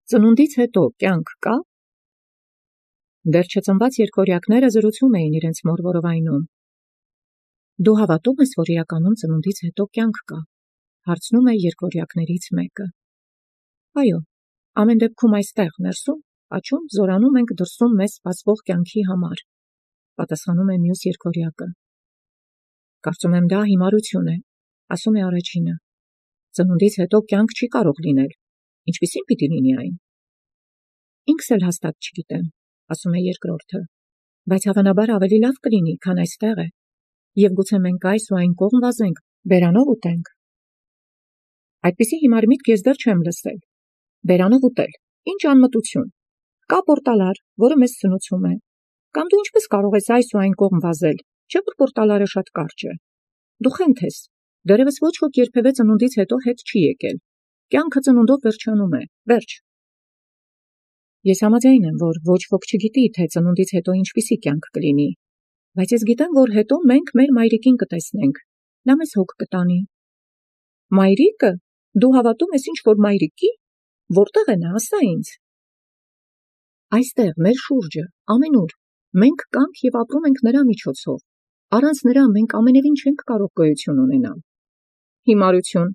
Ծնունդից հետո կյանք կա։ Դեռ չծնված երկորյակները զրուցում էին իրենց մոր որովայնում։ Դու հավատում ես, որ իրականում ծնունդից հետո կյանք կա, հարցնում է երկորյակներից մեկը։ Այո, ամեն դեպքում այստեղ ներսում, աճում, զորանում ենք դրսում մեզ սպասվող կյանքի համար, պատասխանում է մյուս երկորյակը։ Կարծում եմ դա հիմարություն է, ասում է առաջինը։ Ծնունդից հետո կյանք չի կարող լինել, ինչպիսին պիտի լինի այն։ Ինքս էլ հաստատ չգիտեմ, ասում է երկրորդը, բայց հավանաբար ավելի լավ կլինի, քան այստեղ է, և գուցե մենք այս ու այն կողմ վազենք, բերանով ուտենք։ Այդպիսի հիմար միտք ես դեռ չեմ լսել։ Բերանով ուտել, ինչ անմտություն։ Կա պորտալար, որը մեզ սնուցում է։ Կամ դու ինչպես կարող ես այս ու այն կողմ վազել, չէ՞ որ պորտալարը շատ կարճ է։ Դու խենթ ես, դեռևս ոչ ոք երբևէ ծնունդից հետո հետ չի եկել։ Կյանքը ծնունդով վերջանում է, վերջ։ Ես համաձայն եմ, որ ոչ ոք չգիտի, թե ծնունդից հետո ինչպիսի կյանք կլինի, բայց ես գիտեմ, որ հետո մենք մեր մայրիկին կտեսնենք, նա մեզ հոգ կտանի։ Մայրիկը, դու հավատում ես ինչ-որ մայրիկի, որտեղ է նա, ասա ինձ։ Այստեղ, մեր շուրջը, ամենուր, մենք կանք և ապրում ենք նրա միջոցով, առանց նրա մենք ամենևին չենք կարող գոյություն ունենալ։ Հիմարություն,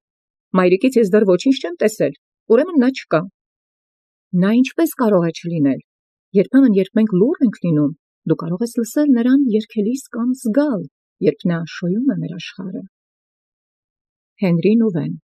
մայրիկից ես դեռ ոչինչ չեմ տեսել, ուրեմն նա չկա։ Նա ինչպես կարող է չլինել։ Երբեմն, երբ մենք լուռ ենք լինում, դու կարող ես լսել նրան երգելիս կամ զգալ, երբ նա շոյում է մեր աշխարհը։ Հենրի Նուվեն